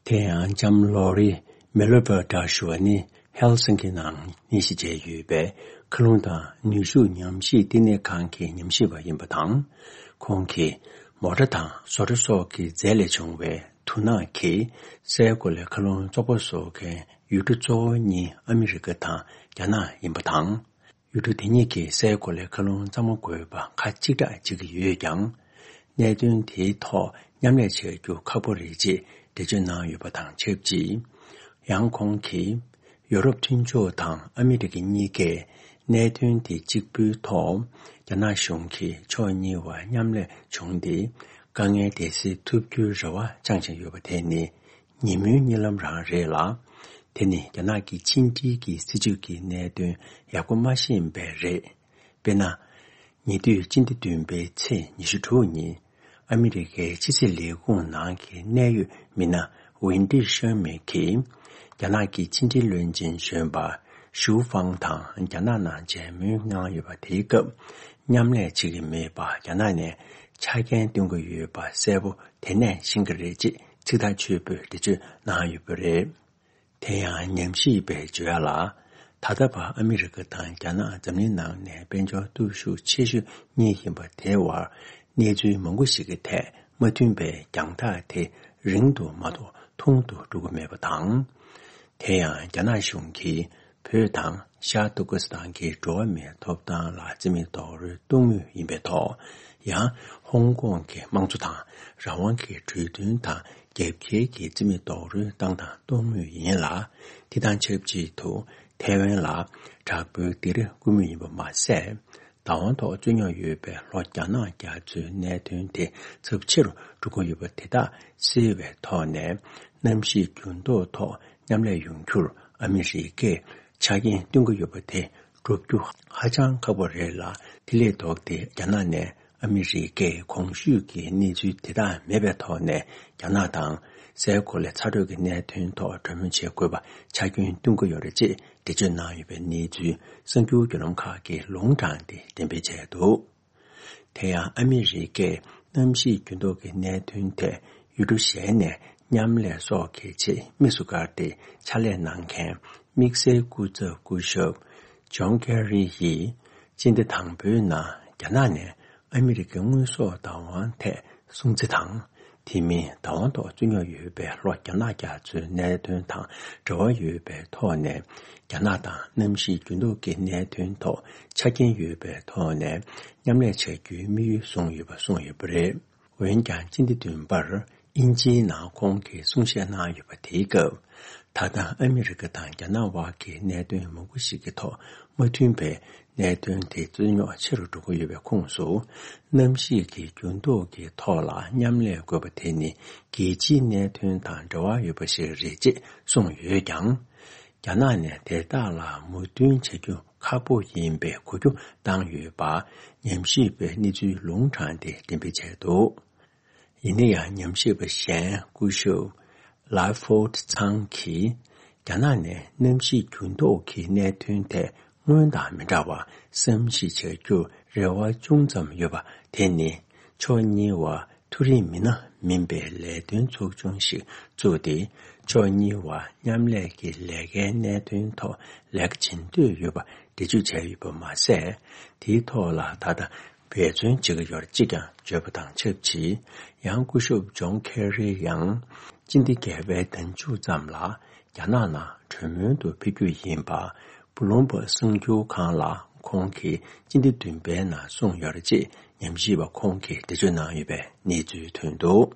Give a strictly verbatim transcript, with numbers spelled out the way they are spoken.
དེ་ཡང་ལྕམ་ལོ་རི་མེ་ལོ་བར་ཌ་ཞུ་བ་ནི་ཧེལ་སིང་ཀི་ནང་གནས་གཞི་བྱས་ཡོད་པའི་མཁའ་རླུང་དང་ནུས་ཤུགས་ཉམས་ཞིབ་བསྟི་གནས་ཁང་གི་ཉམས་ཞིབ་པ་ཡིན་པ་དང་། ཁོང་གིས་མོ་ཊ་དང་བཟོ་གྲྭ་སོགས་ཀྱི་རྫས་ལས་བྱུང་བའི་དུག་ནག་གིས་སའི་གོ་ལའི་མཁའ་རླུང་བཙོག་པ་བཟོ་མཁན་ཡུལ་གྲུ་གཙོ་བོ་གཉིས་ཨ་མི་རི་ཀ་དང་རྒྱ་ནག་ཡིན་པ་དང་། ཡུལ་གྲུ་དེ་གཉིས་ཀྱིས་སའི་གོ་ལའི་མཁའ་རླུང་གཙང་མ་དགོས་པ་ཁ་གཅིག་གྲགས་བྱེད་ཀྱི་ཡོད་ཀྱང་། གནད་དོན་དེའི་ཐོག་མཉམ་ལས་བྱ་རྒྱུ་ཁག་པོ་རེད་ཅེས་འགྲེལ་བརྗོད་གནང་ཡོད་པ་དང་ཆབས་ཅིག། ཡང་ཁོང་གིས། ཡོ་རོབ་མཐུན་ཕྱོགས་དང་ཨ་མི་རི་ཀ་གཉིས་ཀས་གནད་དོན་དེ་གཅིག་པུའི་ཐོག་རྒྱ་ནག་གཞུང་གིས་ཕྱོགས་གཉིས་བར་མཉམ་ལས་བྱུང་སྟེ། དཀའ་ངལ་དེ་སེལ་ཐུབ་རྒྱུའི་རེ་བ་བཅངས་བཞིན་ཡོད་པ་དེ་ནི། ཉིན་མོའི་གཉིད་ལམ་རང་རེད་ལ། དེ་ནི་རྒྱ་ནག་གི་ཕྱི་འབྲེལ་གྱི་སྲིད་བྱུས་ཀྱི་གནད་དོན་ཡག་པོ་མ་ཤེས་པས་རེད། དཔེར་ན། ཉེ་དུས་སྤྱི་ཟླ་བདུན་པའི་ཚེས་ཉི་ཤུ་དྲུག་ཉིན། ཨ་མི་རི་ཀའི་ཕྱི་སྲིད་ལས་ཁུངས་ནང་གི་གནད་ཡོད་མི་སྣ་ཝེན་ཏི་ཤར་མེ་གིས། རྒྱ་ནག་གི་ཕྱི་འབྲེལ་བློན་ཆེན་གཞོན་པ་ཞུ་ཧྥང་དང་རྒྱ་ནག་ནང་མཇལ་མོལ་གནང་ཡོད་པ་དེའི་སྐབས། མཉམ་ལས་བྱེད་ཀྱི་མེད་པ་རྒྱ་ནག་ནས་ཆ་རྐྱེན་སྟོན་གྱི་ཡོད་པ་གསལ་པོ་དེ་ནས་ཤེས་ཀྱི་རེད་ཅེས་ཚིག་ཐག་ཆོད་པོས་འགྲེལ་བརྗོད་གནང་ཡོད་པ་རེད། དེ་ཡང་ཉམས་ཞིབ་པས་བརྗོད་ཡ་ལ། ད་ལྟ་བར་ཨ་མི་རི་ཀ་དང་རྒྱ་ནག་འཛམ་གླིང་ནང་ནས་དཔལ་འབྱོར་སྟོབས་ཤུགས་ཆེ་ཤོས་གཉིས་ཡིན་པ་དེའི་བར་གནས་ཚུལ་མང་པོ་ཞིག་གི་ཐད་མ་མཐུན་པའི་རྒྱང་ཐག་དེ་རིང་དུ་མ་གཏོགས་ཐུང་དུ་འགྲོ་གི་མེད་པ་དང་། དེ་ཡང་རྒྱ་ནག་གཞུང་གིས་བོད་དང་ཤར་ཏུར་ཀི་སི་ཐན་གྱི་འགྲོ་བ་མིའི་ཐོབ་ཐང་ལ་རྩིས་མེད་རྡོག་རོལ་གཏོང་མུས་ཡིན་པའི་ཐོག་ཡང་ཧོང་ཀོང་གི་དམངས་གཙོ་དང་རང་དབང་གི་གྲོས་མཐུན་དང་རྒྱབ་འགལ་གྱི་རྩིས་མེད་རྡོག་རོལ་བཏང་དང་གཏོང་མུས་ཡིན་ལ། དེ་དང་ཆབས་ཅིག་ཏུ་ཐའེ་ཝན་ལ་དྲག་པོའི་སྡིགས་ར་བསྐུལ་མུས་ཡིན་པ་མ་ཟད། བདག་དབང་ཐོག་རྩོད་རྙོག་ཡོད་པའི་ལྷོ་རྒྱ་ནག་རྒྱ་མཚོའི་གནད་དོན་དེ་ཚབས་ཆེ་རུ་འགྲོ་གི་ཡོད་པ་དེ་དག་སེལ་བའི་ཐོག་ནས་གནམ་གཤིས་འགྱུར་ལྡོག་ཐོག་མཉམ་ལས་ཡོང་རྒྱུར་ཨ་མི་རི་ཀས་ཆ་རྐྱེན་སྟོན་གྱི་ཡོད་པ་དེ་སྒྲུབ་རྒྱུ་ཧ་ཅང་ཁག་པོ་རེད་ལ། དེ་ལས་ལྡོག་སྟེ་རྒྱ་ནག་ནས་ཨ་མི་རི་ཀས་གོང་ཞུས་ཀྱི་གནས་ཚུལ་དེ་དག་མེད་པའི་ཐོག་ནས་རྒྱ་ནག་དང་སའི་གོ་ལའི་ཚ་དྲོད་ཀྱི་གནད་དོན་ཐོག་གྲོས་མོལ་བྱེད་དགོས་པ་ཆ་རྐྱེན་སྟོན་གྱི་ཡོད་རེད་ཅེས་འགྲེལ་བརྗོད་གནང་ཡོད་པའི་གནས་ཚུལ་གསར་འགྱུར་བརྒྱུད་ལམ་ཁག་གིས་ལུང་དྲངས་ཏེ་འགྲེམས་སྤེལ་བྱས་འདུག། དེ་ཡང་ཨ་མི་རི་ཀས་གནམ་གཤིས་འགྱུར་ལྡོག་གི་གནད་དོན་ཐད་ཡུལ་གྲུ་གཞན་ནས་མཉམ་ལས་སོགས་ཀྱི་ཆེད་དམིགས་སུ་བཀར་ཏེ་ཕྱག་ལས་གནང་མཁན་དམིགས་བསལ་སྐུ་ཚབ་སྐུ་ཞབས་ཇོན་ཁེ་རི་ཡིས་སྤྱི་ཟླ་དང་པོའི་ནང་རྒྱ་ནག་ནས་ཨ་མི་རི་ཀའི་དངོས་ཟོག་བདག་དབང་ཐད་སྲུང་བརྩི་དང་། དེ་མིན་བདག་དབང་ཐོག་རྩོད་རྙོག་ཡོད་པའི་ལྷོ་རྒྱ་ནག་རྒྱ་མཚོའི་གནད་དོན་དང་འབྲེལ་བ་ཡོད་པའི་ཐོག་ནས་རྒྱ་ནག་དང་གནམ་གཤིས་འགྱུར་ལྡོག་གི་གནད་དོན་ཐོག་ཆ་རྐྱེན་ཡོད་པའི་ཐོག་ནས་མཉམ་ལས་བྱ་རྒྱུའི་དམིགས་ཡུལ་བཟུང་ཡོད་པ་གསུངས་ཡོད་པ་རེད། འོན་ཀྱང་སྤྱི་ཟླ་བདུན་པར་དབྱིན་ཇིའི་ནང་ཁོང་གིས་གསུང་བཤད་གནང་ཡོད་པ་དེའི་སྐབས། ད་ལྟ་ཨ་མི་རི་ཀ་དང་རྒྱ་ནག་དབར་གྱི་གནད་དོན་མང་པོ་ཞིག་གི་ཐོག་མ་མཐུན་པའི་གནད་དོན་དེ་རྩོད་རྙོག་ཆེ་རུ་འགྲོ་གི་ཡོད་པའི་ཁོངས་སུ། གནམ་གཤིས་ཀྱི་འགྱུར་ལྡོག་གི་ཐོག་ལ་མཉམ་ལས་དགོས་པ་དེ་ནི་རྒྱལ་སྤྱིའི་གནད་དོན་དང་འབྲེལ་བ་ཡོད་པ་ཞིག་རེད་ཅེས་གསུངས་ཡོད་ཀྱང་། རྒྱ་ནག་ནས་དེ་དག་ལ་མོས་མཐུན་བྱ་རྒྱུ་ཁག་པོ་ཡིན་པའི་གོ་རྒྱུ་བཏང་ཡོད་པ་ཉམས་ཞིབ་པའི་གནས་ཚུལ་ལུང་དྲངས་ཏེ་འགྲེམས་སྤེལ་བྱས་འདུག། ཡིན་ན་ཡང་ཉམས་ཞིབ་པ་གཞན་སྐུ་ཞབས་ལ་ཧྥོར་ཚང་གིས་རྒྱ་ནག་ནས་གནམ་གཤིས་འགྱུར་ལྡོག་གི་གནད་དོན་ཐད་སྔོན་དང་མི་འདྲ་བར་བསམ་གཞིག་བྱ་རྒྱུར་རེ་བ་ཅུང་ཙམ་ཡོད་པ་དེ་ནི་ཕྱོགས་གཉིས་བར་མཐོ་རིམ་མི་སྣ་མིན་པའི་ལས་དོན་ཚོགས་ཆུང་ཞིག་བཙུགས་ཏེ་ཕྱོགས་གཉིས་བར་མཉམ་ལས་ཀྱི་ལས་ཀའི་གནད་དོན་ཐོག་ལས་ཀ་བྱེད་འདོད་ཡོད་པ་འགྲེལ་བརྗོད་བྱས་ཡོད་པ་མ་ཟད། དེའི་ཐོག་ལ་ད་ལྟ་འབད་བརྩོན་བྱེད་ཀྱི་ཡོད་ཅེས་ཀྱང་བརྗོད་པ་དང་ཆབས་ཅིག། ཡང་སྐུ་ཞབས་ཇོན་ཁེ་རི་ཡང་སྤྱི་ཟླ་བརྒྱད་པའི་ཟླ་མཇུག་ཙམ་ལ་རྒྱ་ནག་ནང་གྲོས་མོལ་དུ་ཕེབས་རྒྱུ་ཡིན་པ། བུ་ལུམ་བྷག་གསར་འགྱུར་ཁང་ལ་ཁོང་གིས་སྤྱི་ཟླ་བདུན་པའི་ནང་གསུངས་ཡོད་རེད་ཅེས་ཉམས་ཞིབ་པ་ཁོང་གིས་འགྲེལ་བརྗོད་གནང་ཡོད་པའི་གནས་ཚུལ་ཐོན་འདུག།